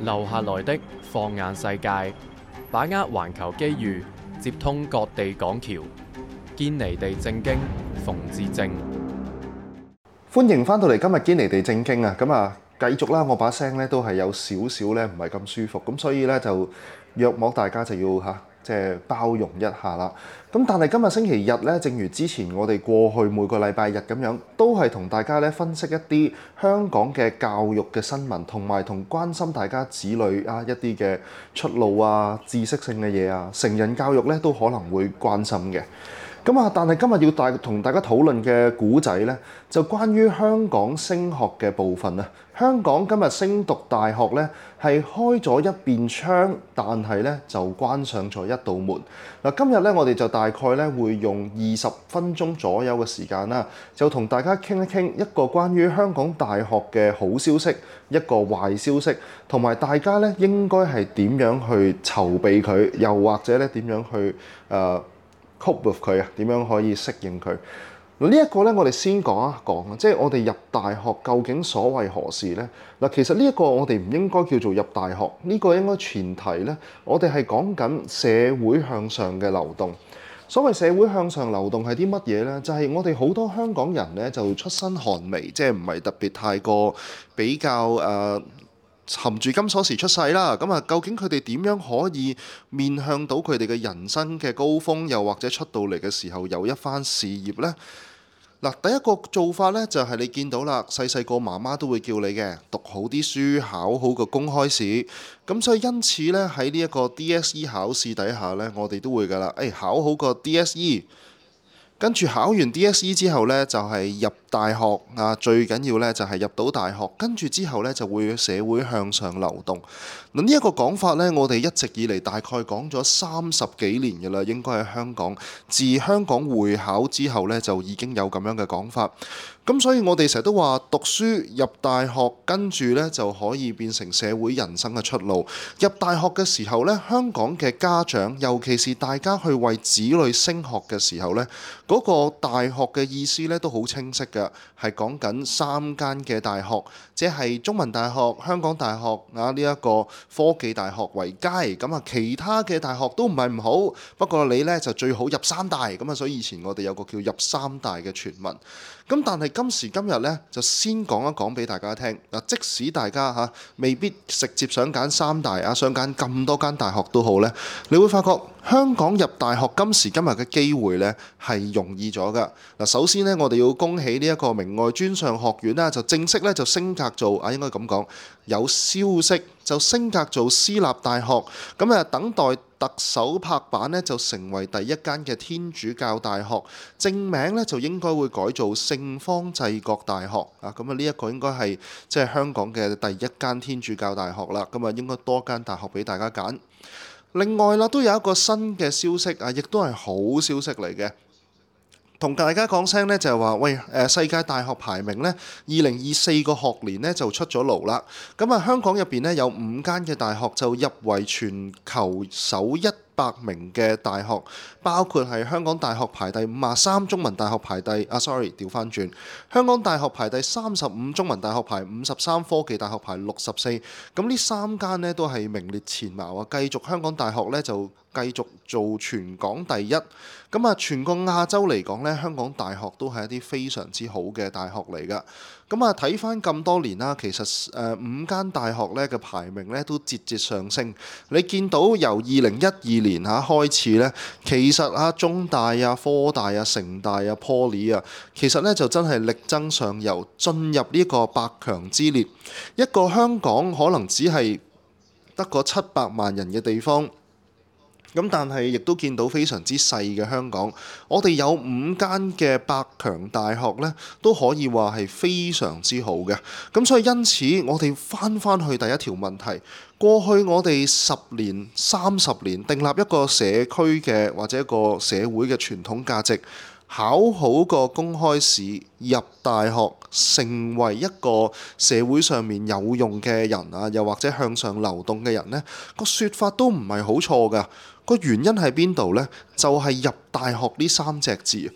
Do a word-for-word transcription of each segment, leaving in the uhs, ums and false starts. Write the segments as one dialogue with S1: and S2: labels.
S1: 留下來的放眼世界，把握環球機遇，接通各地港橋，堅尼地正經，馮智政。
S2: 歡迎翻到嚟今日堅尼地正經啊！咁啊，繼續啦，我把聲咧都係有少少咧唔係咁舒服，咁所以咧就約莫大家就要嚇即係包容一下啦。咁但係今日星期日咧，正如之前我哋過去每個禮拜日咁樣，都係同大家咧分析一啲香港嘅教育嘅新聞，同埋同關心大家子女啊一啲嘅出路啊、知識性嘅嘢啊、成人教育咧都可能會關心嘅。咁啊，但係今日要大同大家討論嘅古仔呢，就關於香港升學嘅部分啊。香港今日升讀大學呢，係開咗一邊窗，但係呢就關上咗一道門。嗱，今日呢，我哋就大概呢會用二十分鐘左右嘅時間啦，就同大家傾一傾一個關於香港大學嘅好消息，一個壞消息，同埋大家呢應該係點樣去籌備佢，又或者呢點樣去誒、呃cope with 佢啊，點樣可以適應佢？嗱，呢一個咧，我哋先講一講，即係我哋入大學究竟所謂何事呢？嗱，其實呢一個我哋唔應該叫做入大學，呢個應該前提呢，我哋係講緊社會向上嘅流動。所謂社會向上流動係啲乜嘢呢？就係我哋好多香港人呢，就出身寒微，即係唔係特別太過比較誒。呃含住金鎖匙出世啦，咁啊，究竟佢哋點樣可以面向到佢哋嘅人生嘅高峰，又或者出到嚟嘅時候有一番事業呢？嗱，第一個做法呢，就係你見到啦，細細個媽媽都會叫你嘅讀好啲書，考好個公開試。咁所以因此呢，喺呢一個 D S E 考試底下呢，我哋都會噶啦，誒考好個 D S E。跟住考完 D S E 之後呢，就係入大學啊，最緊要呢，就係入到大學。跟住之後呢，就會社會向上流動。嗱，呢一個講法呢，我哋一直以嚟大概講咗三十幾年嘅啦，應該喺香港自香港會考之後呢，就已經有咁樣嘅講法。咁所以我哋成日都話讀書入大學，跟住呢就可以變成社會人生嘅出路。入大學嘅時候呢，香港嘅家長，尤其是大家去為子女升學嘅時候呢，嗰個大學嘅意思呢都好清晰嘅，係講緊三間嘅大學，即係中文大學、香港大學啊，呢一個科技大學為佳。咁啊，其他嘅大學都唔係唔好，不過你呢就最好入三大。咁啊，所以以前我哋有個叫入三大嘅傳聞。咁但係今時今日呢，就先講一講俾大家聽。嗱，即使大家嚇未必直接想揀三大啊，想揀咁多間大學都好呢，你會發覺香港入大學今時今日嘅機會呢係容易咗㗎。嗱，首先呢，我哋要恭喜呢一個明愛專上學院啦，就正式咧就升格做啊，應該咁講，有消息就升格做私立大學。咁啊，等待特首拍板呢，就成為第一間嘅天主教大學，正名呢，就應該會改做聖方濟各大學啊。咁啊，呢一個應該係即係香港嘅第一間天主教大學啦。咁啊，應該多間大學俾大家揀。另外啦，都有一個新嘅消息啊，亦都係好消息嚟嘅。同大家講聲呢，就係話，喂，誒世界大學排名呢，二零二四個學年呢就出咗爐啦。咁啊，香港入邊呢，有五間嘅大學就入圍全球首一百名嘅大學，包括係香港大學排第五十三，中文大學排第啊，sorry，調翻轉，香港大學排第三十五，中文大學排五十三，科技大學排六十四。咁呢三間呢，都係名列前茅啊！繼續香港大學呢，就繼續做全港第一。咁啊，全個亞洲嚟講呢，香港大學都係一啲非常之好嘅大學嚟㗎。咁啊，睇翻咁多年啦，其實誒、呃、五間大學咧嘅排名咧都節節上升。你見到由二零一二年嚇開始咧，其實啊中大啊、科大啊、城大啊、Poly 啊，其實咧就真係力爭上游，進入呢個百強之列。一個香港可能只係得個七百萬人嘅地方。咁但係亦都見到非常之細嘅香港，我哋有五間嘅百強大學呢，都可以話係非常之好嘅。咁所以因此，我哋翻翻去第一條問題，過去我哋十年、三十年訂立一個社區嘅或者一個社會嘅傳統價值，考好個公開試入大學，成為一個社會上面有用嘅人啊，又或者向上流動嘅人呢，個說法都唔係好錯㗎。個原因喺邊度呢？就係入大學呢三隻字。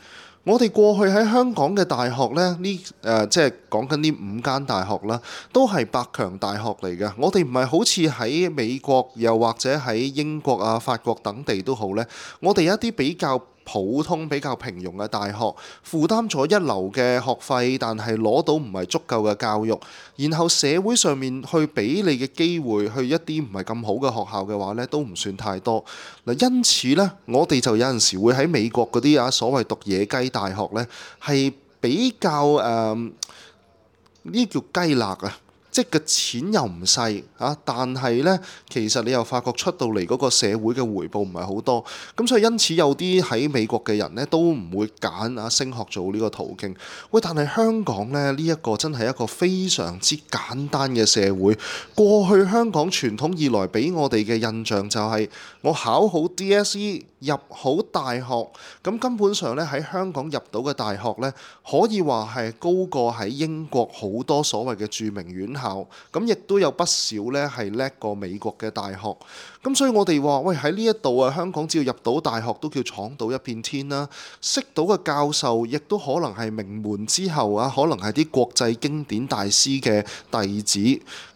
S2: 我哋過去喺香港嘅大學呢，呢誒、呃、即係講緊呢五間大學啦，都係百強大學嚟嘅。我哋唔係好似喺美國又或者喺英國啊、法國等地都好呢，我哋有一啲比較普通比較平庸嘅大學，負擔咗一流嘅學費，但係攞到唔係足夠嘅教育，然後社會上面去俾你嘅機會去一啲唔係咁好嘅學校嘅話呢，都唔算太多。嗱，因此呢，我哋就有陣時會喺美國嗰啲啊所謂讀野雞大學呢，係比較誒呢啲叫雞肋啊。即係個錢又唔細啊，但係呢，其實你又發覺出到嚟嗰個社會嘅回報唔係好多，咁所以因此有啲喺美國嘅人呢，都唔會揀啊升學做呢個途徑。喂，但係香港呢，呢一個真係一個非常之簡單嘅社會。過去香港傳統以來俾我哋嘅印象就係我考好 D S E 入好大學，咁根本上呢，喺香港入到嘅大學呢，可以話係高過喺英國好多所謂嘅著名院校。咁亦都有不少咧係叻過美國嘅大學，咁所以我哋話喂，喺呢一度啊，香港只要入到大學都叫闖到一片天啦。識到嘅教授亦都可能係名門之後啊，可能係啲國際經典大師嘅弟子。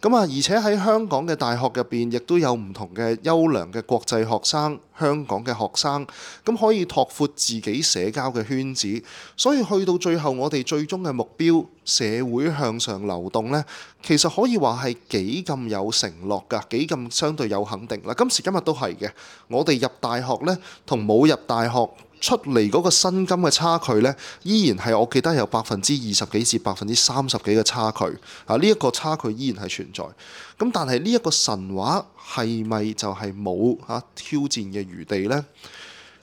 S2: 咁啊，而且喺香港嘅大學入邊，亦都有唔同嘅優良嘅國際學生、香港嘅學生，咁可以拓闊自己社交嘅圈子。所以去到最後，我哋最終嘅目標，社會向上流動呢，其實可以話係幾咁有承諾㗎，幾咁相對有肯定嗱。今時今日都係嘅，我哋入大學呢，同冇入大學出嚟嗰個薪金嘅差距呢，依然係我記得有百分之二十幾至百分之三十幾嘅差距啊！呢一個差距依然係存在。咁但係呢一個神話係咪就係冇嚇挑戰嘅餘地呢？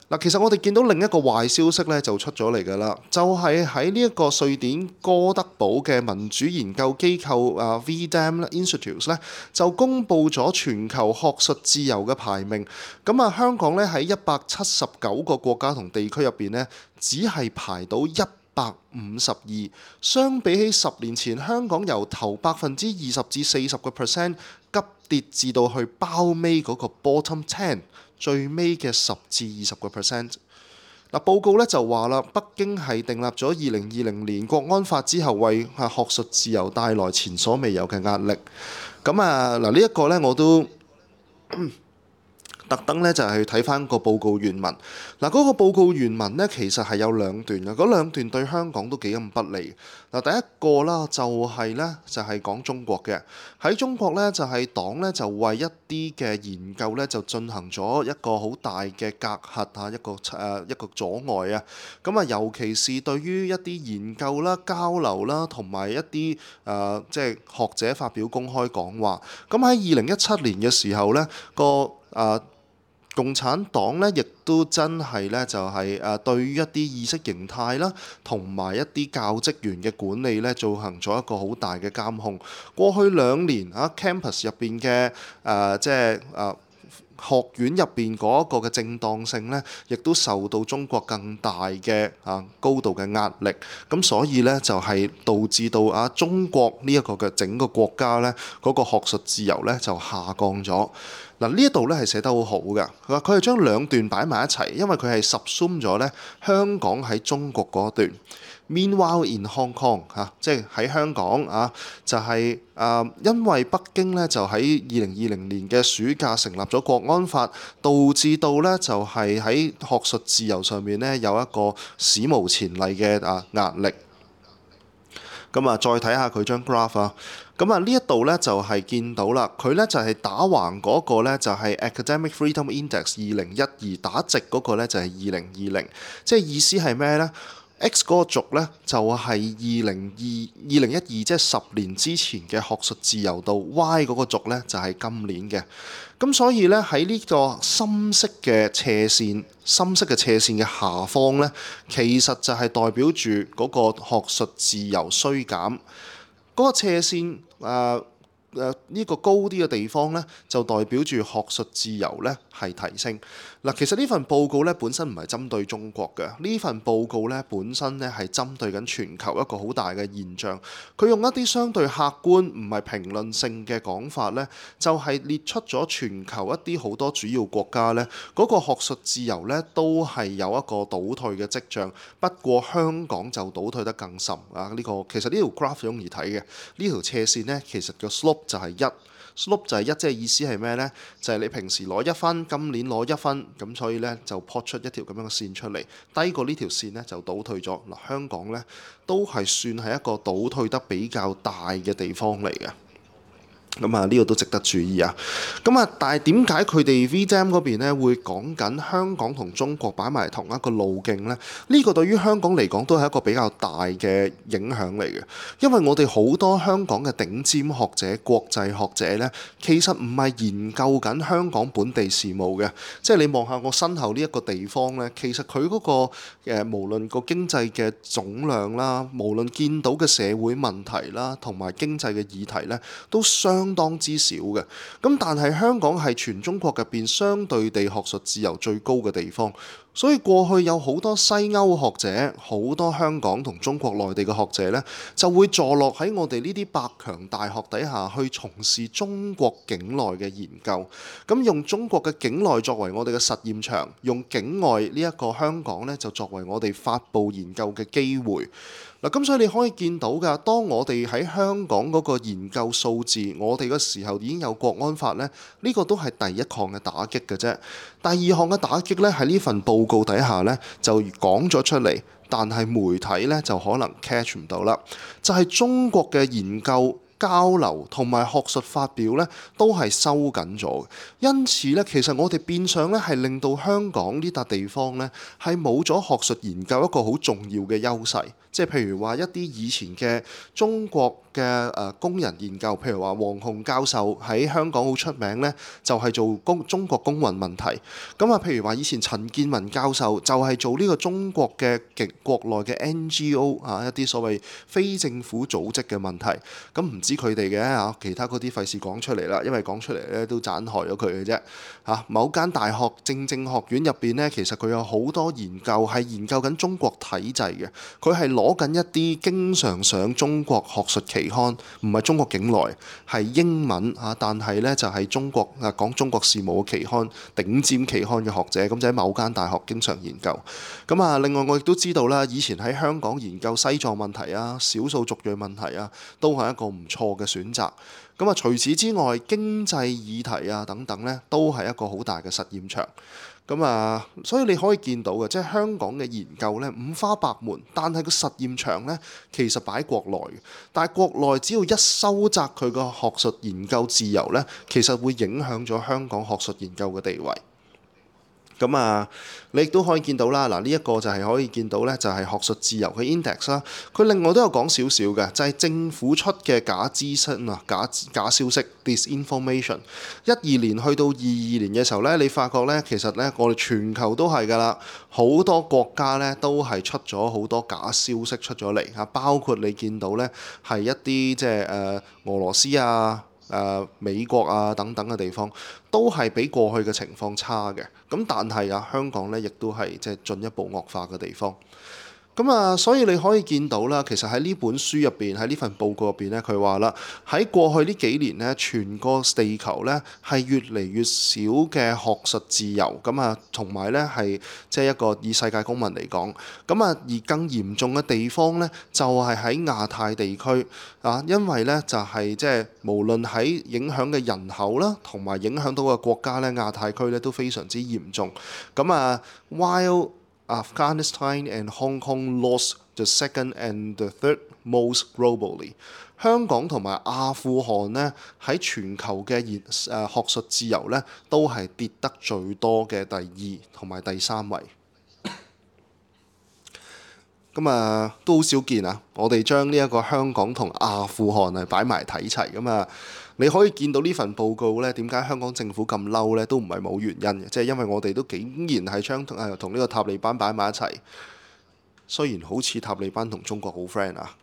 S2: 嗱，其實我哋見到另一個壞消息咧就出咗嚟㗎啦，就係喺呢一個瑞典哥德堡嘅民主研究機構啊 V D A M Institute 咧，就公布咗全球學術自由嘅排名。咁啊，香港咧喺一百七十九個國家同地區入邊咧，只係排到一百五十二。相比起十年前，香港由頭百分之二十至四十個 percent 急跌至到去包尾嗰個 bottom ten。最尾嘅十至二十個 percent。嗱，報告咧就話啦，北京係訂立咗二零二零年國安法之後，為學術自由帶來前所未有嘅壓力。咁啊，嗱呢一個咧我都特登咧就係去睇翻個報告原文。嗱，嗰個報告原文咧其實係有兩段嘅，嗰兩段對香港都幾咁不利。嗱，第一個啦就係咧就係講中國嘅，喺中國咧就係黨咧就為一啲嘅研究咧就進行咗一個好大嘅隔閡啊，一個誒一個阻礙啊。咁啊，尤其是對於一啲研究啦、交流啦，同埋一啲誒即係學者發表公開講話。咁喺二零一七年嘅時候咧，個誒、呃共產黨咧，亦都真係咧，就係誒對於一啲意識形態啦，同埋一啲教職員嘅管理咧，進行咗一個好大嘅監控。過去兩年啊 campus 入邊嘅誒即係誒學院入邊嗰一個嘅正當性咧，亦都受到中國更大嘅啊高度嘅壓力。咁所以咧就係導致到啊中國呢一個嘅整個國家咧嗰個學術自由咧就下降咗。嗱，呢一度咧係寫得好好㗎，佢話佢係將兩段擺埋一齊，因為佢係 subsume 咗咧香港喺中國嗰段。Meanwhile in Hong Kong 嚇、啊，即係喺香港啊，就係、是、誒、呃、因為北京咧就喺二零二零年嘅暑假成立咗國安法，導致到咧就係喺學術自由上面咧有一個史無前例嘅啊壓力。咁啊，再睇下佢張 graph 啊。咁啊，呢一度咧就係見到啦，佢咧就係打橫嗰個咧就係 Academic Freedom Index 二零一二，打直嗰個咧就係二零二零，即係意思係咩咧？X 嗰個軸咧就係二零二二零一二，即係十年之前嘅學術自由度。Y 嗰個軸咧就係今年嘅。咁所以咧喺呢個深色嘅斜線，深色嘅斜線嘅下方咧，其實就係代表住嗰個學術自由衰減。嗰個斜線誒誒呢個高啲嘅地方呢，就代表住學術自由呢係提升。嗱，其實呢份報告呢本身唔係針對中國嘅，呢份報告呢本身呢係針對緊全球一個好大嘅現象。佢用一啲相對客觀唔係評論性嘅講法呢，就係列出咗全球一啲好多主要國家呢嗰個學術自由呢都係有一個倒退嘅跡象。不過香港就倒退得更甚啊！呢個其實呢條 graph 容易睇嘅，呢條斜線呢其實個 slope 就係一 slope 就係一，即係意思係咩呢？就係你平時攞一分，今年攞一分，咁所以呢就 plot 出一條咁樣嘅線出嚟，低過呢條線呢就倒退咗。嗱，香港呢都係算係一個倒退得比較大嘅地方嚟嘅。咁啊，呢個都值得注意啊！咁啊，但係點解佢哋 V D A M 嗰邊咧會講緊香港同中國擺埋同一個路徑呢？呢個對於香港嚟講都係一個比較大嘅影響嚟嘅，因為我哋好多香港嘅頂尖學者、國際學者呢，其實唔係研究緊香港本地事務嘅。即係你望下我身後呢一個地方呢，其實佢嗰個誒無論個經濟嘅總量啦，無論見到嘅社會問題啦，同埋經濟嘅議題呢，都相相當之少嘅。咁但係香港係全中國入邊相對地學術自由最高嘅地方，所以過去有好多西歐學者，好多香港同中國內地嘅學者呢，就會坐落喺我哋呢啲百強大學底下去從事中國境內嘅研究。咁用中國嘅境內作為我哋嘅實驗場，用境外呢一個香港呢，就作為我哋發布研究嘅機會。嗱，咁所以你可以見到㗎，當我哋喺香港嗰個研究數字，我哋嗰時候已經有國安法呢，呢個都係第一項嘅打擊嘅啫。第二項嘅打擊呢，喺呢份報告底下呢，就講咗出嚟，但係媒體呢，就可能 catch 唔到啦。就係中國嘅研究交流同埋學術發表呢，都係收緊咗。因此呢，其實我哋變相呢，係令到香港呢笪地方呢，係冇咗學術研究一個好重要嘅優勢。即係譬如話一啲以前嘅中國嘅誒工人研究，譬如話黃洪教授喺香港好出名呢，就係做公中國公運問題。咁啊，譬如話以前陳建文教授就係做呢個中國嘅極國內嘅 N G O 啊，一啲所謂非政府組織嘅問題。咁唔知佢哋嘅嚇，其他嗰啲費事講出嚟啦，因為講出嚟咧都盞害咗佢嘅啫嚇。某間大學政政學院入邊呢，其實佢有好多研究係研究緊中國體制嘅，佢係攞緊一啲經常上中國學術期刊，唔係中國境內，係英文嚇，但係呢就係中國啊講中國事務嘅期刊，頂尖期刊嘅學者，咁就喺某間大學經常研究。咁啊，另外我亦都知道啦，以前喺香港研究西藏問題啊、少數族裔問題啊，都係一個唔錯嘅選擇。咁啊，除此之外，經濟議題啊等等呢，都係一個好大嘅實驗場。咁啊，所以你可以見到嘅，即係香港嘅研究呢，五花八門，但係個實驗場呢，其實擺喺國內嘅。但係國內只要一收窄佢個學術研究自由呢，其實會影響咗香港學術研究嘅地位。咁啊，你亦都可以見到啦。嗱，呢一個就係可以見到呢，就係學術自由嘅 index 啦。佢另外都有講少少嘅，就係政府出嘅假資訊啊、假假消息 disinformation。一二年去到二二年嘅時候呢，你發覺呢，其實呢，我哋全球都係㗎啦，好多國家呢都係出咗好多假消息出咗嚟啊，包括你見到呢，係一啲即係誒俄羅斯啊、誒、呃、美國啊等等嘅地方，都係比過去嘅情況差嘅。咁但係啊，香港咧亦都係即係進一步惡化嘅地方。咁啊，所以你可以見到啦，其實喺呢本書入邊，喺呢份報告入邊咧，佢話啦，喺過去呢幾年咧，全個地球咧係越嚟越少嘅學術自由。咁啊，同埋咧係即係一個以世界公民嚟講，咁啊而更嚴重嘅地方咧，就係喺亞太地區啊，因為咧就係即係無論喺影響嘅人口啦，同埋影響到嘅國家咧，亞太區咧都非常之嚴重。咁啊，while Afghanistan and Hong Kong lost the second and the third most globally。香港同埋阿富汗呢，喺全球嘅研誒學術自由呢，都係跌得最多嘅第二同埋第三位。咁啊，都好少見啊！我哋將呢一個香港同阿富汗啊擺埋睇齊咁啊，你可以見到呢份報告呢，點解香港政府咁嬲呢？都唔係冇原因嘅，即係因為我哋都竟然係將誒同呢個塔利班擺埋一齊，雖然好似塔利班同中國好 friend 啊。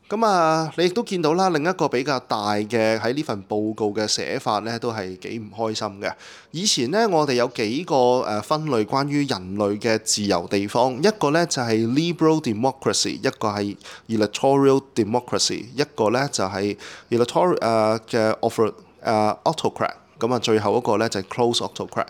S2: 咁啊，你亦都見到啦，另一個比較大嘅喺呢份報告嘅寫法咧，都係幾唔開心嘅。以前咧，我哋有幾個誒分類關於人類嘅自由地方，一個咧就係 liberal democracy，一個係 electoral democracy，一個咧就係 electoral 誒嘅 author 誒 autocrat。咁啊，最後一個咧就係 close autocrat，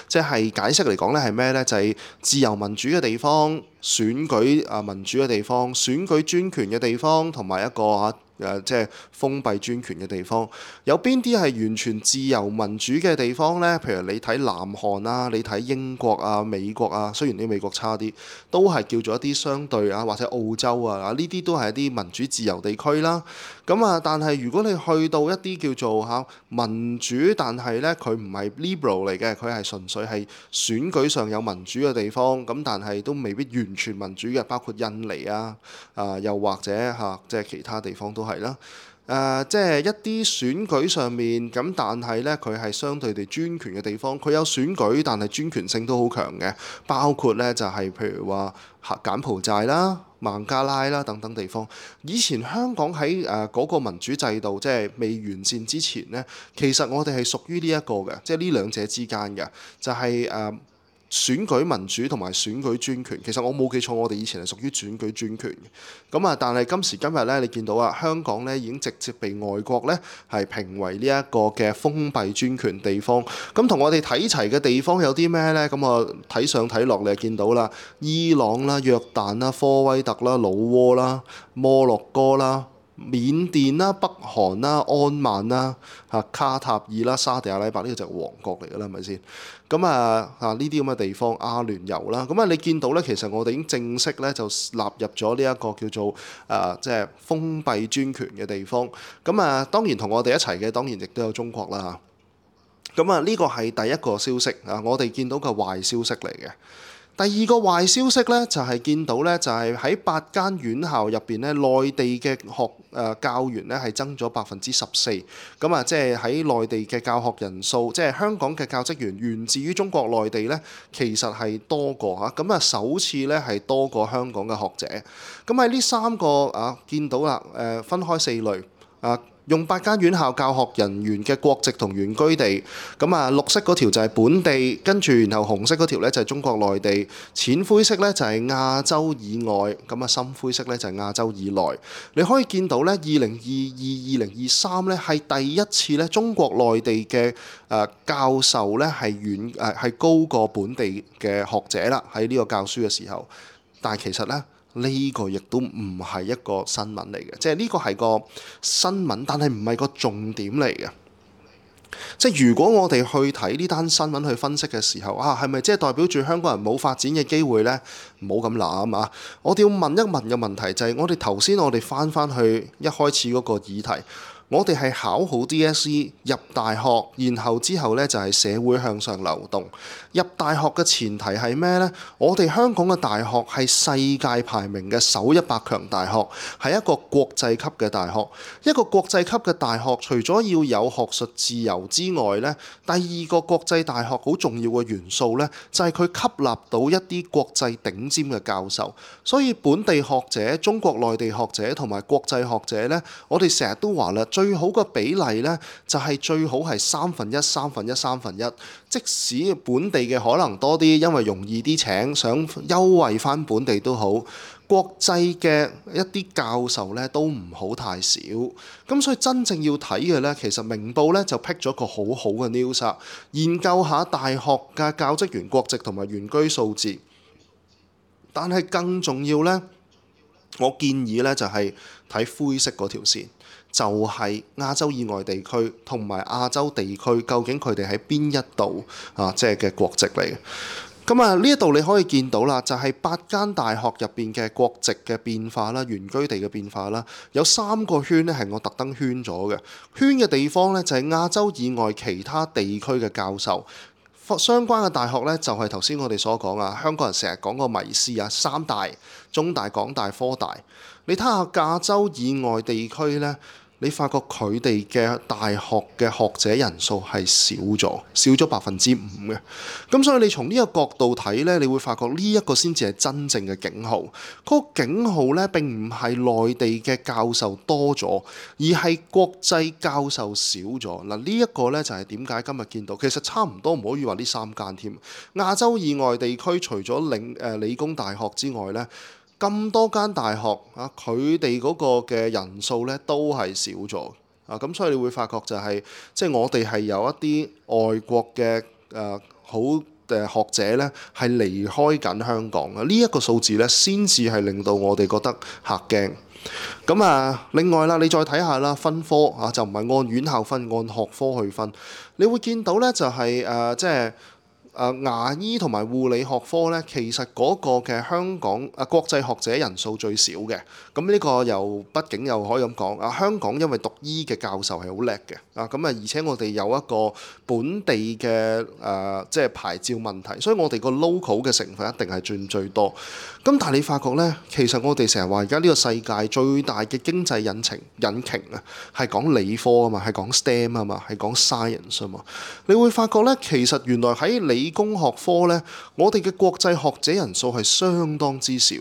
S2: 即係解釋嚟講咧係咩咧？就係自由民主嘅地方、選舉啊民主嘅地方、選舉專權嘅地方，同埋一個嚇誒即係封閉專權嘅地方。有邊啲係完全自由民主嘅地方咧？譬如你睇南韓啊，你睇英國啊、美國啊，雖然啲美國差啲，都係叫做一啲相對啊，或者澳洲啊，呢啲都係一啲民主自由地區啦。咁啊，但係如果你去到一啲叫做嚇民主，但係咧佢唔係 liberal 嚟嘅，佢係純粹係選舉上有民主嘅地方，咁但係都未必完全民主嘅，包括印尼啊，啊又或者嚇即係其他地方都係啦。誒、呃，即係一啲選舉上面咁，但係咧佢係相對地專權嘅地方，佢有選舉，但係專權性都好強嘅，包括咧就係、是、譬如話柬埔寨啦、孟加拉啦等等地方。以前香港喺誒嗰個民主制度即係未完善之前咧，其實我哋係屬於呢一個嘅，即係呢兩者之間嘅，就係、是、誒。呃選舉民主同埋選舉專權，其實我冇記錯，我哋以前係屬於選舉專權嘅。咁啊，但係今時今日咧，你見到啊，香港咧已經直接被外國咧係評為呢一個嘅封閉專權地方。咁同我哋睇齊嘅地方有啲咩咧？咁啊，睇上睇落你就見到啦，伊朗啦、約旦啦、科威特啦、老撾啦、摩洛哥啦、緬甸啦、北韓啦、安曼啦、嚇卡塔爾啦、沙地阿拉伯，呢個就係王國嚟㗎啦，係咪先？咁啊啊呢啲咁嘅地方，阿聯酋啦，咁啊你見到咧，其實我哋已經正式咧就納入咗呢一個叫做誒即係封閉專權嘅地方。咁啊當然同我哋一齊嘅，當然亦都有中國啦。咁啊呢個係第一個消息啊，我哋見到嘅壞消息嚟嘅。第二個壞消息咧，就係見到咧，就係喺八間院校入邊咧，內地嘅學誒教員咧係增咗百分之十四。咁啊，即係喺內地嘅教學人數，即係香港嘅教職員源自於中國內地咧，其實係多過嚇。咁啊，首次咧係多過香港嘅學者。咁喺呢三個啊，見到啦，誒分開四類啊。用八間院校教學人員嘅國籍同原居地，咁啊綠色嗰條就係本地，跟住然後紅色嗰條咧就係中國內地，淺灰色咧就係亞洲以外，咁啊深灰色咧就係亞洲以內。你可以見到咧，二零二二、二零二三咧係第一次咧，中國內地嘅誒教授咧係遠誒係高過本地嘅學者啦，喺呢個教書嘅時候。但係其實咧，呢個亦都唔係一個新聞嚟嘅，即係呢個係個新聞，但係唔係個重點嚟嘅。即係如果我哋去睇呢單新聞去分析嘅時候，啊係咪即係代表住香港人冇發展嘅機會呢？唔好咁諗啊！我哋要問一問嘅問題就係，我哋頭先我哋翻翻去一開始嗰個議題。我哋係考好 D S E 入大學，然後之後咧就係社會向上流動。入大學嘅前提係咩呢？我哋香港嘅大學係世界排名嘅首一百強大學，係一個國際級嘅大學。一個國際級嘅大學，除咗要有學術自由之外呢，第二個國際大學好重要嘅元素呢，就係佢吸納到一啲國際頂尖嘅教授。所以本地學者、中國內地學者同埋國際學者呢，我哋成日都話啦，最好嘅比例呢，就係最好係三分一、三分一、三分一。即使本地嘅可能多啲，因為容易啲請，想優惠翻本地都好。國際嘅一啲教授呢，都唔好太少。咁所以真正要睇嘅呢，其實明報呢就闢咗個好好嘅 news，研究下大學嘅教職員國籍同埋原居數字。但係更重要呢，我建議呢就係睇灰色嗰條線。就係亞洲以外地區同埋亞洲地區，究竟佢哋喺邊一度啊？即係嘅國籍嚟嘅。咁啊，呢一度你可以見到啦，就係八間大學入邊嘅國籍嘅變化啦，原居地嘅變化啦，有三個圈呢係我特登圈咗嘅。圈嘅地方呢，就係亞洲以外其他地區嘅教授。相關嘅大學呢，就係頭先我哋所講啊，香港人成日講個迷思啊，三大、中大、港大、科大。你睇下亞洲以外地區呢。你發覺佢哋嘅大學嘅學者人數係少咗，少咗百分之五嘅。咁所以你從呢個角度睇呢，你會發覺呢一個先至係真正嘅警號。嗰個警號呢，並唔係內地嘅教授多咗，而係國際教授少咗。嗱，呢一個呢，就係點解今日見到，其實差唔多唔可以話呢三間添。亞洲以外地區除咗領誒理工大學之外呢，咁多間大學啊，佢哋嗰個嘅人數呢都係少咗啊，咁所以你會發覺就係即係我哋係有一啲外國嘅誒好誒學者呢係離開緊香港啊，呢一個數字呢先至係令到我哋覺得嚇驚。咁啊，另外啦，你再睇下啦，分科啊就唔係按院校分，按學科去分，你會見到呢就係誒即係。誒、呃、牙醫同埋護理學科咧，其實嗰個嘅香港誒、呃、國際學者人數最少嘅。咁呢個又畢竟又可以咁講啊，香港因為讀醫嘅教授係好叻嘅啊，咁啊而且我哋有一個本地嘅誒、呃、即係牌照問題，所以我哋個 local 嘅成分一定係佔最多。咁但係你發覺咧，其實我哋成日話而家呢個世界最大嘅經濟引擎引擎啊，係講理科啊嘛，係講 STEM 啊嘛，係講 science 啊嘛。你會發覺咧，其實原來喺理工學科咧，我哋嘅國際學者人數係相當之少，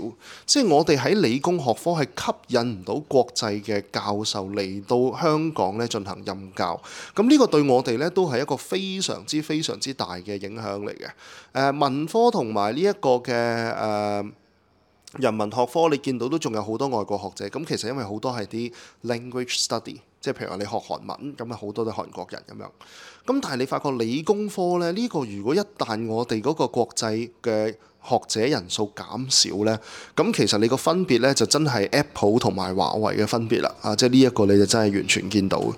S2: 即係我哋喺理工學科係吸引唔到國際嘅教授嚟到香港咧進行任教。咁呢個對我哋咧都係一個非常之非常之大嘅影響嚟嘅。誒、呃、文科同埋呢一個嘅誒。呃人文學科你見到都仲有好多外國學者，咁其實因為好多係啲 language study，即係譬如話你學韓文，咁啊好多都係韓國人咁樣。咁但係你發覺理工科咧，呢個如果一旦我哋嗰個國際嘅學者人數減少呢，咁其實你個分別呢，就真係 Apple 同埋華為嘅分別啦，啊，即係呢一個你就真係完全見到嘅。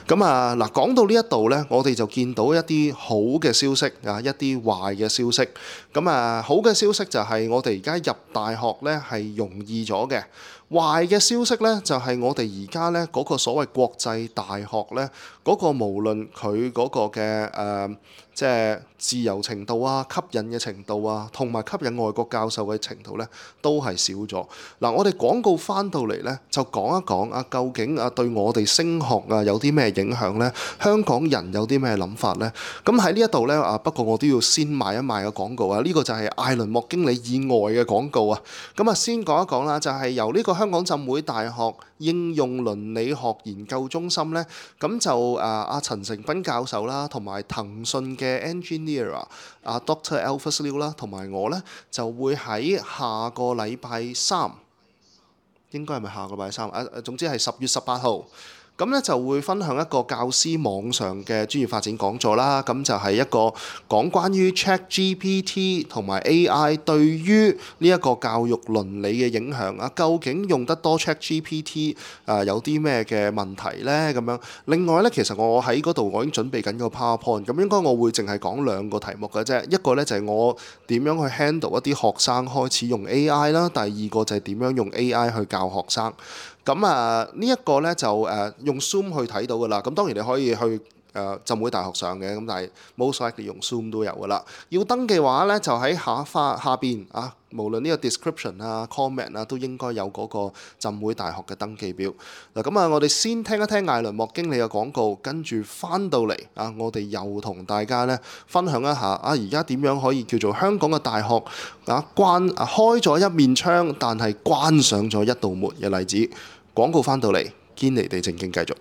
S2: 咁啊嗱，講到呢一度呢，我哋就見到一啲好嘅消息啊，一啲壞嘅消息。咁啊，好嘅消息就係我哋而家入大學呢係容易咗嘅。壞嘅消息呢，就係我哋而家呢嗰個所謂國際大學呢，嗰個無論佢嗰個嘅誒，即係自由程度啊、吸引嘅程度啊，同埋吸引外國教授嘅程度呢，都係少咗。嗱，我哋廣告翻到嚟呢，就講一講啊，究竟啊對我哋升學啊有啲咩影響呢？香港人有啲咩諗法呢？咁喺呢一度呢，啊，不過我都要先賣一賣個廣告啊！呢個就係艾倫莫經理以外嘅廣告啊！咁啊，先講一講啦，就係由呢個香港浸會大學應用倫理學研究中心呢，咁就誒阿陳成斌教授啦，同埋騰訊嘅 engineer 啊 Doctor Alphus Liu 啦，同埋我呢，就會喺下個禮拜三，應該係咪下個禮拜三啊？總之係十月十八號。咁咧就會分享一個教師網上嘅專業發展講座啦，咁就係一個講關於 ChatGPT 同埋 A I 對於呢一個教育倫理嘅影響啊，究竟用得多 ChatGPT 啊有啲咩嘅問題呢？咁樣。另外咧，其實我喺嗰度我已經準備緊個 PowerPoint，咁應該我會淨係講兩個題目嘅啫，一個咧就係我點樣去 handle 一啲學生開始用 A I 啦，第二個就係點樣用 A I 去教學生。咁啊，呢一個咧就誒用 Zoom 去睇到噶啦。咁當然你可以去誒浸會大學上嘅，咁但係 most likely 用 Zoom 都有噶啦。要登記嘅話咧，就喺下花下邊啊，無論呢個 description 啊、comment 啊，都應該有嗰個浸會大學嘅登記表。嗱，咁啊，我哋先聽一聽艾倫莫經理嘅廣告，跟住翻到嚟啊，我哋又同大家咧分享一下啊，而家點樣可以叫做香港嘅大學啊關啊開咗一面窗，但係關上咗一道門嘅例子。廣告翻到嚟，堅尼地正經繼續。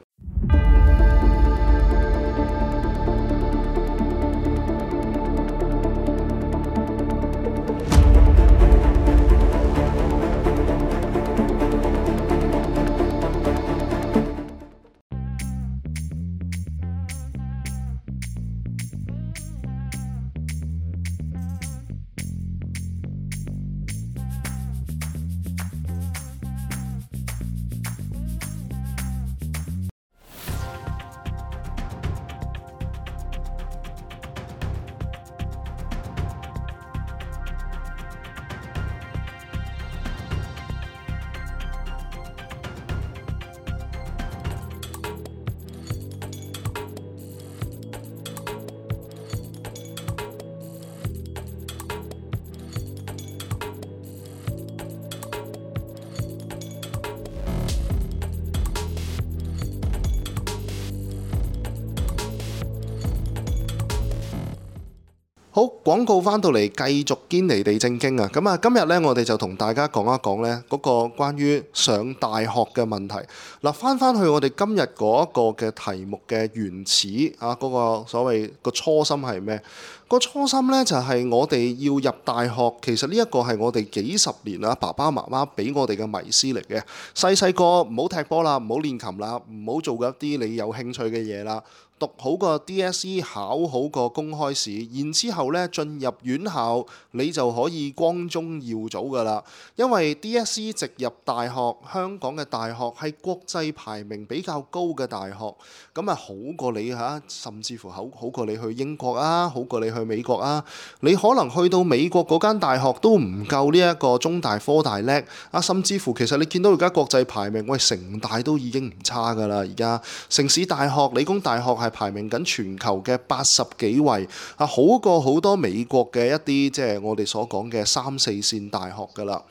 S2: 好，廣告翻到嚟繼續堅尼地正經啊！咁啊，今日咧我哋就同大家講一講咧嗰個關於上大學嘅問題。嗱，翻翻去我哋今日嗰一個嘅題目嘅原始啊，嗰個所謂個初心係咩？個初心咧就係我哋要入大學，其實呢一個係我哋幾十年啊爸爸媽媽俾我哋嘅迷思嚟嘅。細細個唔好踢波啦，唔好練琴啦，唔好做一啲你有興趣嘅嘢啦。讀好個 D S E， 考好個公開試，然之後咧進入院校，你就可以光宗耀祖噶啦。因為 D S E 直入大學，香港嘅大學係國際排名比較高嘅大學，咁啊好過你嚇，甚至乎好好過你去英國啊，好過你去美國啊。你可能去到美國嗰間大學都唔夠呢一個中大科大叻啊，甚至乎其實你見到而家國際排名，喂，城大都已經唔差噶啦，而家城市大學、理工大學係排名緊全球嘅八十幾位啊，好過好多美國嘅一啲即係我哋所講嘅三四線大學㗎啦。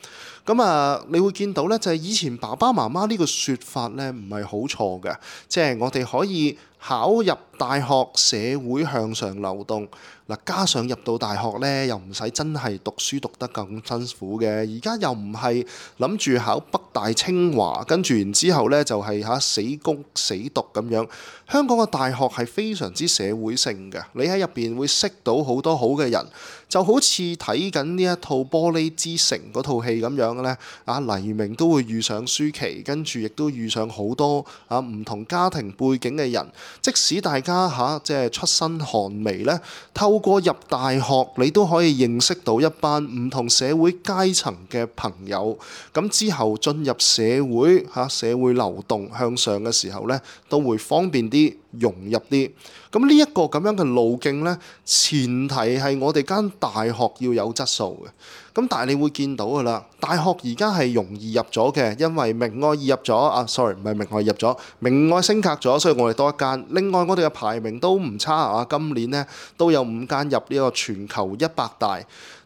S2: 咁啊，你會見到咧，就係以前爸爸媽媽呢個説法咧，唔係好錯嘅，即係我哋可以考入大學，社會向上流動。嗱，加上入到大學咧，又唔使真係讀書讀得咁辛苦嘅。而家又唔係諗住考北大清華，跟住然之後咧就係嚇死攻死讀咁樣。香港嘅大學係非常之社會性嘅，你喺入邊會識到好多好嘅人，就好似睇緊呢一套《玻璃之城》嗰套戲咁樣咧。啊，黎明都會遇上舒淇，跟住亦都遇上好多啊唔同家庭背景嘅人。即使大家嚇、啊、即係出身寒微咧，透過入大學，你都可以認識到一班唔同社會階層嘅朋友。咁之後進入社會嚇、啊、社會流動向上嘅時候咧，都會方便啲，融入啲。咁呢一個咁樣嘅路徑咧，前提係我哋間大學要有質素嘅。咁但係你會見到㗎啦，大學而家係容易入咗嘅，因為明愛易入咗啊，sorry 唔係明愛入咗，明愛升格咗，所以我哋多一間。另外我哋嘅排名都唔差啊，今年咧都有五間入呢個全球一百大。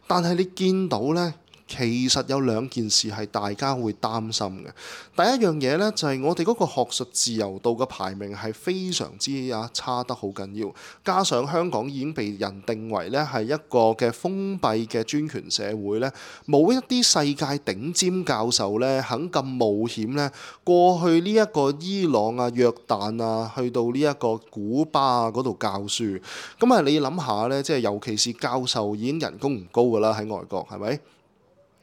S2: 但係你見到咧，其實有兩件事係大家會擔心嘅。第一樣嘢呢，就係我哋嗰個學術自由度嘅排名係非常之啊差得好緊要，加上香港已經被人定為呢係一個嘅封閉嘅專權社會呢，冇一啲世界頂尖教授呢肯咁冒險呢過去呢一個伊朗啊、約旦啊，去到呢一個古巴啊嗰度教書。咁啊，你諗下呢，即係尤其是教授已經人工唔高㗎啦，喺外國係咪？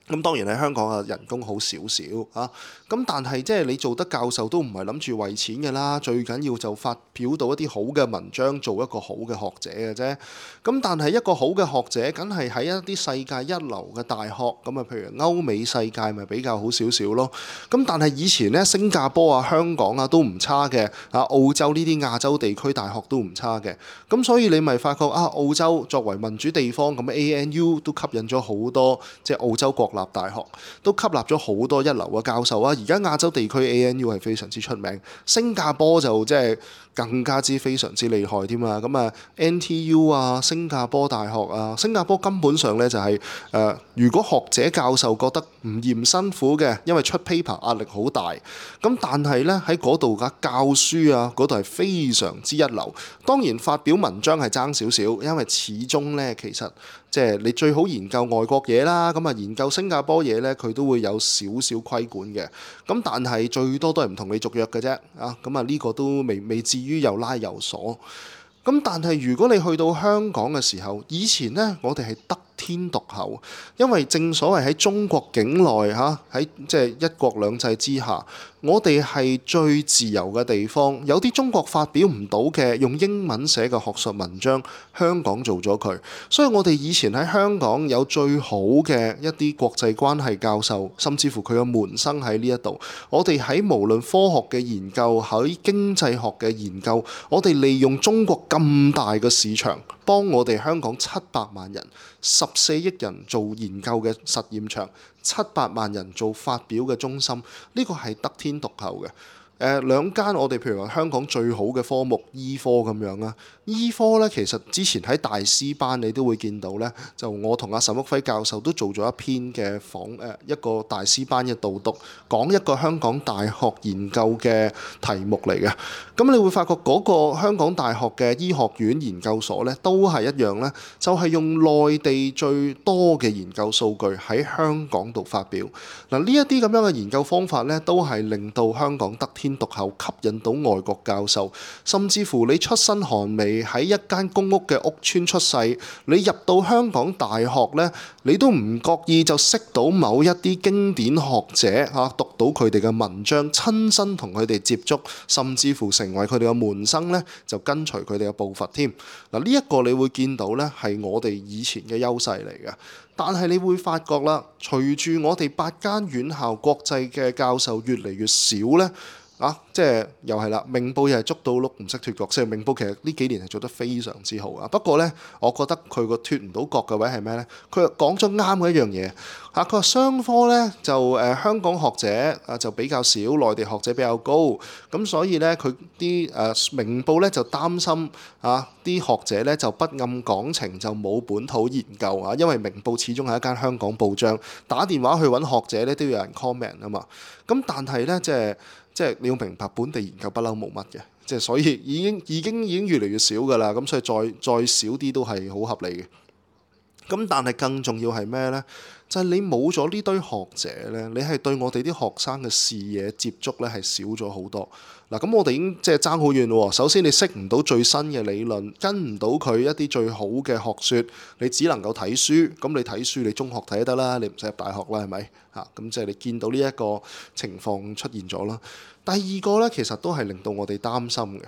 S2: 咁當然喺香港啊，人工好少少啊。咁但係即係你做得教授都唔係諗住為錢嘅啦，最緊要就發表到一啲好嘅文章，做一個好嘅學者嘅啫。咁但係一個好嘅學者，梗係喺一啲世界一流嘅大學，咁啊，譬如歐美世界咪比較好少少咯。咁但係以前咧，新加坡啊、香港啊都唔差嘅，啊澳洲呢啲亞洲地區大學都唔差嘅。咁所以你咪發覺啊，澳洲作為民主地方，咁 A N U 都吸引咗好多即係澳洲國立大學，都吸納咗好多一流嘅教授啊。而家亞洲地區 A N U 係非常之出名，新加坡就即係更加之非常之厲害添啊！咁啊 N T U 啊、新加坡大學啊，新加坡根本上咧就係、是、誒、呃，如果學者教授覺得唔嫌辛苦嘅，因為出 paper 壓力好大，咁但係咧喺嗰度嘅教書啊，嗰度係非常之一流。當然發表文章係爭少少，因為始終咧其實即係你最好研究外國嘢啦，咁啊研究新加坡嘢咧，佢都會有少少規管嘅。咁但係最多都係唔同你續約嘅啫，啊咁啊呢個都未未至於又拉又鎖。咁但係如果你去到香港嘅時候，以前呢，我哋係得天獨厚，因為正所謂喺中國境內嚇，喺即係一國兩制之下，我哋係最自由嘅地方。有啲中國發表唔到嘅用英文寫嘅學術文章，香港做咗佢。所以我哋以前喺香港有最好嘅一啲國際關係教授，甚至乎佢嘅門生喺呢一度。我哋喺無論科學嘅研究，喺經濟學嘅研究，我哋利用中國咁大嘅市場，幫我哋香港七百萬人、十四億人做研究嘅實驗場，七百萬人做發表嘅中心，呢個係得天獨厚嘅。誒兩間我哋譬如話香港最好嘅科目醫科咁樣啦，醫科咧其實之前喺大師班你都會見到咧，就我同阿沈旭輝教授都做咗一篇嘅訪誒一個大師班嘅導讀，講一個香港大學研究嘅題目嚟嘅。咁你會發覺嗰個香港大學嘅醫學院研究所咧，都係一樣咧，就係用內地最多嘅研究數據喺香港度發表。嗱，呢一啲咁樣嘅研究方法咧，都係令到香港得天獨厚，吸引到外國教授，甚至乎你出身寒微喺一間公屋嘅屋邨出世，你入到香港大學咧，你都唔覺意就識到某一啲經典學者嚇，讀到佢哋嘅文章，親身同佢哋接觸，甚至乎成為佢哋嘅門生咧，就跟隨佢哋嘅步伐添。嗱，呢一個你會見到咧，係我哋以前嘅優勢嚟嘅。但係你會發覺啦，隨住我哋八間院校國際嘅教授越嚟越少咧。啊，即係又係啦，明報又係捉到鹿唔識脫角。即係明報其實呢幾年係做得非常之好啊。不過呢，我覺得佢個脫唔到角嘅位係咩呢？佢講咗啱嘅一樣嘢嚇。佢話商科呢，就誒、呃、香港學者啊就比較少，內地學者比較高。咁所以呢，佢啲誒明報呢就擔心啊啲學者呢就不諳港情，就冇本土研究啊。因為明報始終係一間香港報章，打電話去揾學者呢都要有人 comment 啊嘛。咁但係呢，即係。即係你要明白，本地研究不嬲冇乜嘅，即係所以已經已經已經越嚟越少㗎啦。咁所以再再少啲都係好合理嘅。咁但係更重要係咩呢？就係你冇咗呢堆學者呢，你係對我哋啲學生嘅視野接觸呢係少咗好多。嗱，咁我哋已經即係爭好遠咯。首先你識唔到最新嘅理論，跟唔到佢一啲最好嘅學説，你只能夠睇書。咁你睇書，你中學睇得啦，你唔使入大學啦，係咪？嚇，咁即係你見到呢一個情況出現咗啦。第二個呢，其實都係令到我哋擔心嘅。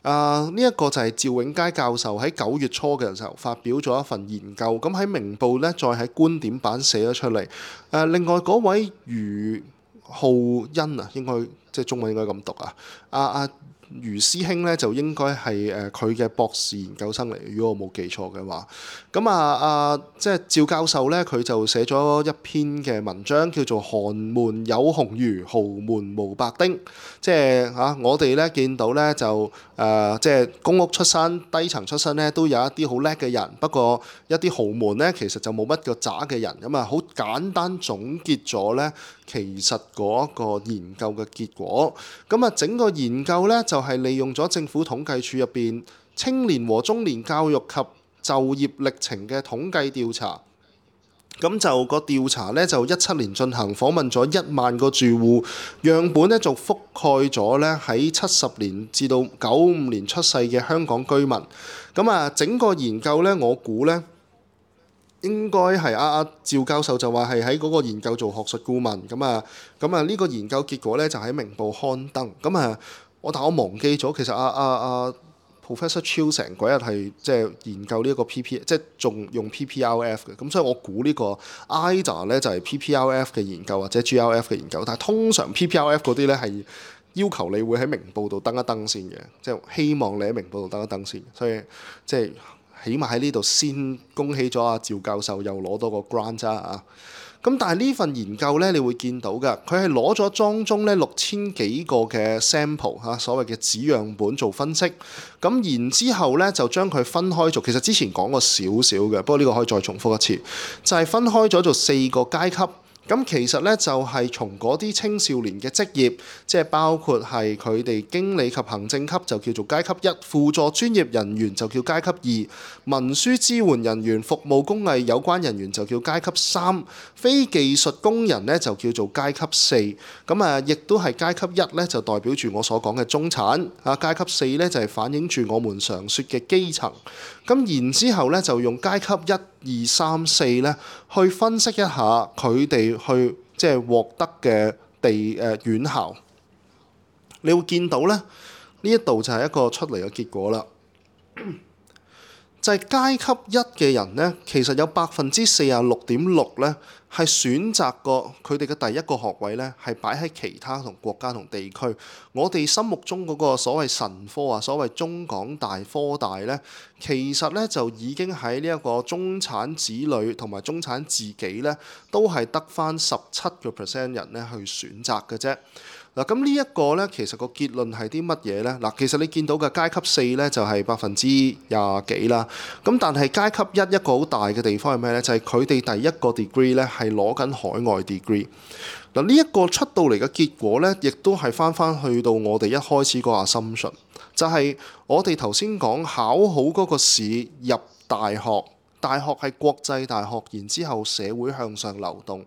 S2: 啊！呢一個就係趙永佳教授喺九月初嘅時候發表咗一份研究，咁喺明報呢，再喺觀點版寫咗出嚟。誒、啊，另外嗰位余浩恩啊，應該即係中文應該咁讀啊。阿、啊、阿余師兄呢，就應該係誒佢嘅博士研究生嚟，如果我冇記錯嘅話。咁啊啊，即係趙教授呢，佢就寫咗一篇嘅文章，叫做《寒門有紅魚，豪門無白丁》。即係嚇、啊，我哋呢見到呢，就誒、呃，即係公屋出身、低層出身呢，都有一啲好叻嘅人。不過一啲豪門呢，其實就冇乜個渣嘅人。咁啊，好簡單總結咗呢，其實嗰個研究嘅結果。咁啊，整個研究呢，就係利用咗政府統計處入邊青年和中年教育及就業歷程嘅統計調查。咁就個調查呢，就一七年進行，訪問咗一萬個住戶，樣本呢就覆蓋咗呢喺七十年至到九五年出世嘅香港居民。咁啊，整個研究呢，我估呢應該係阿阿趙教授就話係喺嗰個研究做學術顧問。咁啊，咁啊呢個研究結果呢，就喺明報刊登。咁啊，我但我忘記咗，其實阿阿阿 Professor Chiu 成嗰日係即係研究呢一個 P P， 即係仲用 P P R F 嘅。咁所以我估呢個 I D A 咧就係 P P R F 嘅研究或者 G R F 嘅研究。但係通常 P P R F 嗰啲咧係要求你會喺明報度登一登先嘅，即係希望你喺明報度登一登先。所以即係起碼喺呢度先恭喜咗阿趙教授又攞到個 grant 啫啊！咁但係呢份研究咧，你會見到嘅，佢係攞咗當中咧六千幾個嘅 sample 嚇，所謂嘅紙樣本做分析。咁然之後咧就將佢分開做，其實之前講過少少嘅，不過呢個可以再重複一次，就係分開咗做四個階級。咁其實咧就係從嗰啲青少年嘅職業，即係包括係佢哋經理及行政級就叫做階級一，輔助專業人員就叫階級二，文書支援人員、服務工藝有關人員就叫階級三，非技術工人咧就叫做階級四。咁啊，亦都係階級一咧就代表住我所講嘅中產啊，階級四咧就係反映住我們常說嘅基層。咁然之後咧就用階級一、二、三、四咧去分析一下佢哋去即係獲得嘅地誒、呃、院校，你會見到咧呢一度就係一個出嚟嘅結果啦。就係階級一嘅人咧，其實有百分之四十六點六咧係選擇過佢哋嘅第一個學位咧係擺喺其他同國家同地區。我哋心目中嗰個所謂神科啊，所謂中港大科大咧，其實咧就已經喺呢一個中產子女同埋中產自己咧，都係得返十七個 percent 人咧去選擇嘅啫。嗱，咁呢一個呢，其實個結論係啲乜嘢呢？嗱，其實你見到嘅階級四呢，就係百分之廿幾啦。咁但係階級一一個好大嘅地方係咩呢？就係佢哋第一個 degree 呢係攞緊海外 degree。嗱，呢一個出到嚟嘅結果呢，亦都係翻翻去到我哋一開始個 assumption，就係我哋頭先講考好嗰個試入大學，大學係國際大學，然之後社會向上流動。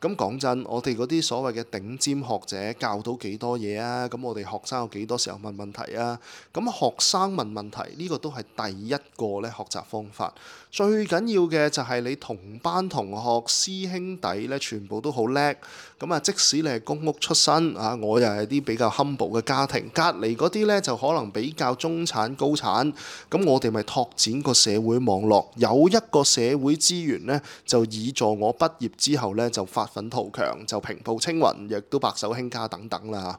S2: 咁講真，我哋嗰啲所謂嘅頂尖學者教到幾多嘢啊？咁我哋學生有幾多時候問問題啊？咁學生問問題呢個都係第一個咧學習方法。最緊要嘅就係你同班同學師兄弟咧，全部都好叻。咁啊，即使你係公屋出身啊，我又係啲比較 humble 嘅家庭，隔離嗰啲咧就可能比較中產高產。咁我哋咪拓展個社會網絡，有一個社會資源咧，就以助我畢業之後咧就發奮圖強，就平步青雲，亦都白手興家等等啦。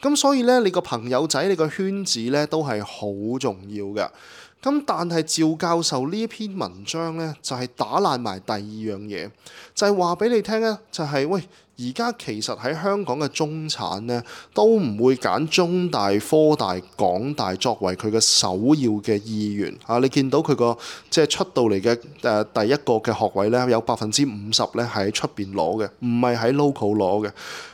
S2: 咁所以咧，你個朋友仔、你個圈子咧都係好重要嘅。咁但係趙教授呢一篇文章咧，就係打爛埋第二樣嘢，就係話俾你聽咧，就係喂，而家其實喺香港嘅中產咧，都唔會揀中大、科大、港大作為佢嘅首要嘅意願啊！你見到佢個即係出到嚟嘅誒第一個嘅學位咧，有百分之五十咧係喺出邊攞嘅，唔係喺 local 攞嘅。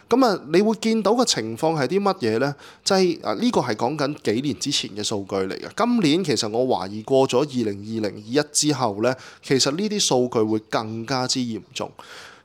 S2: 咁啊，你會見到嘅情況係啲乜嘢呢？就係啊，呢個係講緊幾年之前嘅數據嚟嘅。今年其實我懷疑過咗二零二零二一之後呢，其實呢啲數據會更加之嚴重。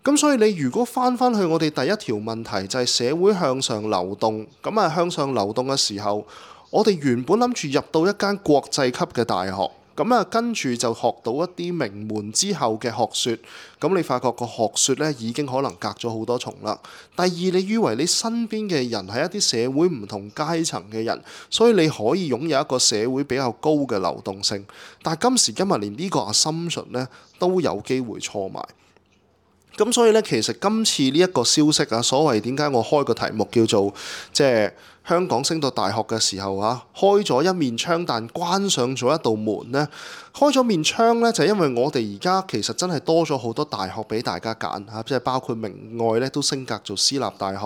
S2: 咁所以你如果翻翻去我哋第一條問題，就係社會向上流動。咁啊，向上流動嘅時候，我哋原本諗住入到一間國際級嘅大學。咁啊，跟住就學到一啲名門之後嘅學説，咁你發覺個學説咧已經可能隔咗好多重啦。第二，你以為你身邊嘅人係一啲社會唔同階層嘅人，所以你可以擁有一個社會比較高嘅流動性，但係今時今日連呢個 assumption 咧都有機會錯埋。咁所以咧，其實今次呢一個消息啊，所謂點解我開個題目叫做即係香港升到大學嘅時候啊，開咗一面窗，但關上咗一道門呢。開咗面窗呢，就係因為我哋而家其實真係多咗好多大學俾大家揀嚇，即係包括明愛咧都升格做私立大學。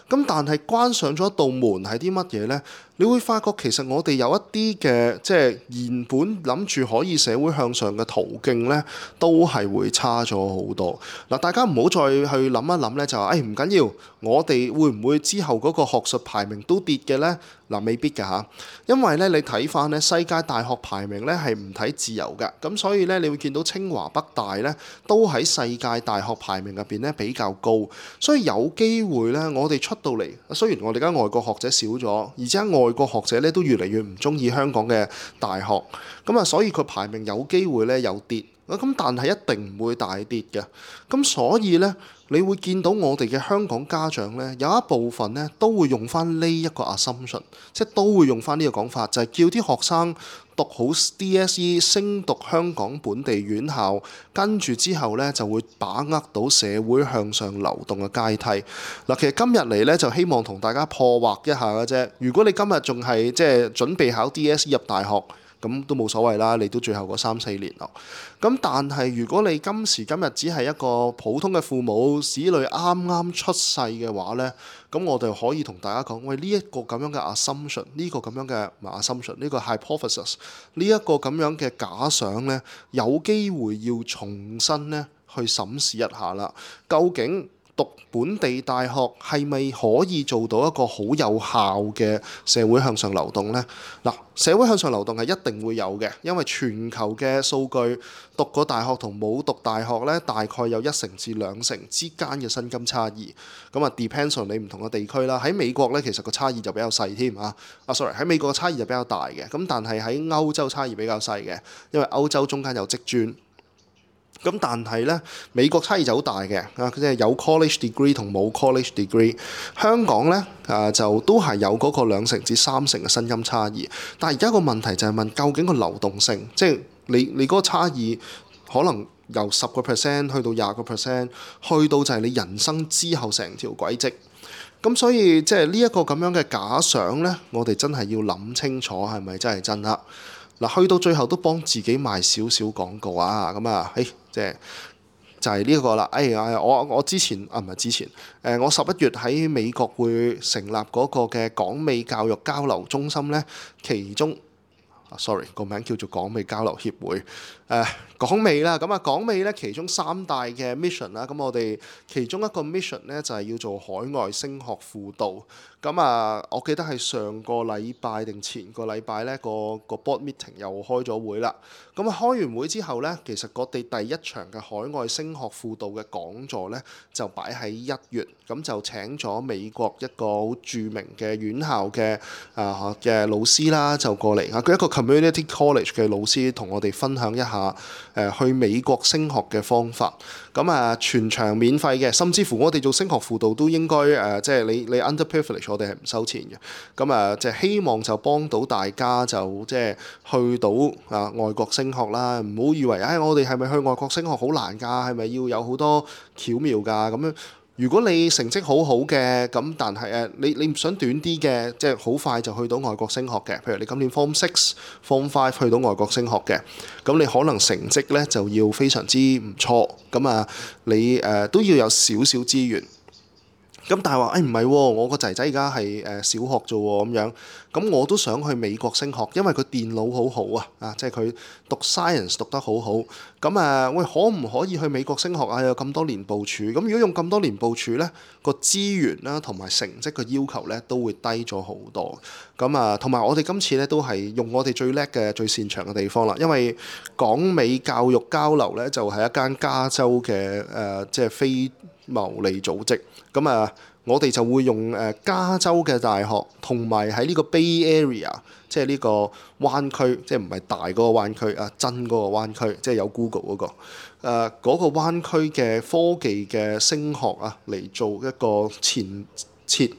S2: 咁但係關上咗一道門係啲乜嘢呢？你會發覺其實我哋有一啲嘅即係原本諗住可以社會向上嘅途徑呢，都係會差咗好多。嗱，大家唔好再去諗一諗呢，就話誒唔緊要，我哋會唔會之後嗰個學術排名都跌嘅呢？嗱，未必㗎嚇，因為咧你睇翻咧世界大學排名咧係唔睇自由㗎，咁所以咧你會見到清華北大咧都喺世界大學排名入邊咧比較高，所以有機會咧我哋出到嚟，雖然我哋而家外國學者少咗，而且外國學者咧都越嚟越唔中意香港嘅大學，咁啊所以佢排名有機會咧有跌，咁但係一定唔會大跌嘅，咁所以咧。你會見到我哋嘅香港家長呢，有一部分呢都會用翻呢一個 assumption，即係都會用翻呢個講法，就係叫啲學生讀好 D S E， 升讀香港本地院校，跟住之後呢就會把握到社會向上流動嘅階梯。嗱，其實今日嚟呢，就希望同大家破惑一下嘅啫。如果你今日仲係即係準備考 D S E 入大學，咁都冇所謂啦，你都最後嗰三四年咯。咁但係如果你今時今日只係一個普通嘅父母，子女啱啱出世嘅話呢，咁我哋可以同大家講，喂，呢一個咁樣嘅 assumption，呢個咁樣嘅 assumption，呢個 hypothesis，呢一個咁樣嘅假想呢，有機會要重新呢去審視一下啦。究竟讀本地大學係咪可以做到一個好有效嘅社會向上流動呢？嗱，社會向上流動係一定會有嘅，因為全球嘅數據，讀過大學同冇讀大學呢，大概有一成至兩成之間嘅薪金差異。咁啊，depends on 你唔同嘅地區啦。喺美國呢，其實個差異就比較細添啊。啊，sorry，喺美國嘅差異就比較大嘅。咁但係喺歐洲差異比較細嘅，因為歐洲中間有職專。咁但係咧，美國差異就好大嘅，啊，即係有 college degree 同冇 college degree。香港咧，啊就都係有嗰個兩成至三成嘅薪金差異。但係而家個問題就係問，究竟個流動性，即係你你嗰個差異，可能由十個 percent 去到廿個 percent，去到就係你人生之後成條軌跡。咁所以即係呢一個咁樣嘅假想咧，我哋真係要諗清楚係咪真係真啦。嗱，去到最後都幫自己賣少少廣告啊！咁啊，誒，即係
S3: 就係呢一個啦。哎呀，我我之前啊唔係之前，誒、呃、我十一月喺美國會成立嗰個嘅港美教育交流中心咧，其中。sorry 個名叫做港美交流協會，誒、呃、港美啦，咁啊港美咧其中三大嘅 mission 啦，咁我哋其中一個 mission 咧就係要做海外升學輔導，咁啊我記得係上個禮拜定前個禮拜咧個個 board meeting 又開咗會啦，咁啊開完會之後咧，其實我哋第一場嘅海外升學輔導嘅講座咧就擺喺一月，咁就請咗美國一個好著名嘅院校嘅啊嘅老師啦，就過嚟啊，佢一個 community college 嘅老師同我哋分享一下誒、呃、去美國升學嘅方法，咁啊全場免費嘅，甚至乎我哋做升學輔導都應該誒、呃，即係你你 underprivileged 我哋係唔收錢嘅，咁啊即係希望就幫到大家就即係去到啊外國升學啦，唔好以為誒、哎、我哋係咪去外國升學好難㗎，係咪要有好多巧妙㗎咁樣？如果你成績好好嘅，咁但係誒你你唔想短啲嘅，即係好快就去到外國升學嘅，譬如你今年 Form Six、Form Five 去到外國升學嘅，咁你可能成績咧就要非常之唔錯，咁啊你誒、呃、都要有少少資源。咁但係話誒唔係喎，我個仔仔而家係誒小學啫喎咁樣，咁我都想去美國升學，因為佢電腦好好啊，啊即係佢讀 science 讀得好好，咁啊喂可唔可以去美國升學啊？有咁多年部署，咁如果用咁多年部署咧，個資源啦同埋成績嘅要求咧都會低咗好多。咁啊同埋我哋今次咧都係用我哋最叻嘅最擅長嘅地方啦，因為港美教育交流咧就係一間加州嘅誒、呃、即係非牟利組織，咁啊，我哋就會用誒加州嘅大學，同埋喺呢個 Bay Area，即係呢個灣區，即係唔係大嗰個灣區啊，真嗰個灣區，即係有 Google 嗰個誒嗰個灣區嘅科技嘅升學啊，嚟做一個前設，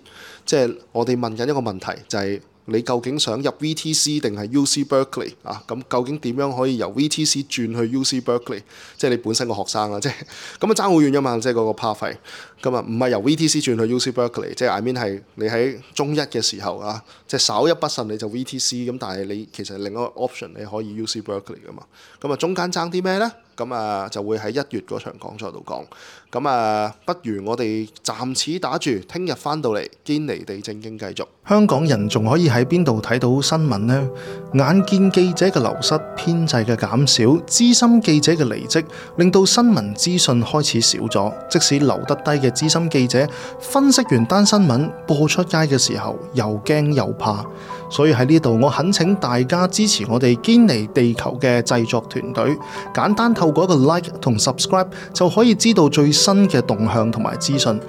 S3: 即係我哋問緊一個問題，就係你究竟想入 V T C 定係 U C Berkeley 啊？咁究竟點樣可以由 V T C 轉去 U C Berkeley？即係你本身個學生啦，即係咁啊爭好遠㗎嘛，即係嗰個 pathway。咁啊唔係由 V T C 轉去 U C Berkeley，即係 I mean 係你喺中一嘅時候啊，即係稍一不慎你就 V T C，咁但係你其實另一個 option 你可以 U C Berkeley 㗎嘛。咁啊中間爭啲咩咧？咁啊就會喺一月嗰場講座度講。咁啊不如我哋暫時打住，聽日翻到嚟堅尼地正經繼續。
S4: 香港人仲可以喺邊度睇到新聞呢？眼見記者嘅流失、編制嘅減少、資深記者嘅離職，令到新聞資訊開始少咗。即使留得低嘅資深記者分析完單新聞播出街嘅時候，又驚又怕。所以喺呢度，我懇請大家支持我哋堅尼地球嘅製作團隊，簡單透過一個 like 同 subscribe 就可以知道最新嘅動向同埋資訊。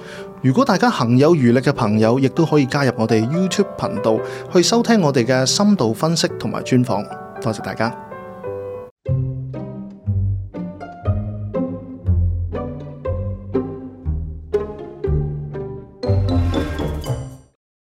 S4: 如果大家行有餘力嘅朋友，亦都可以加入我哋 YouTube 頻道去收聽我哋嘅深度分析同埋專訪。多謝大家。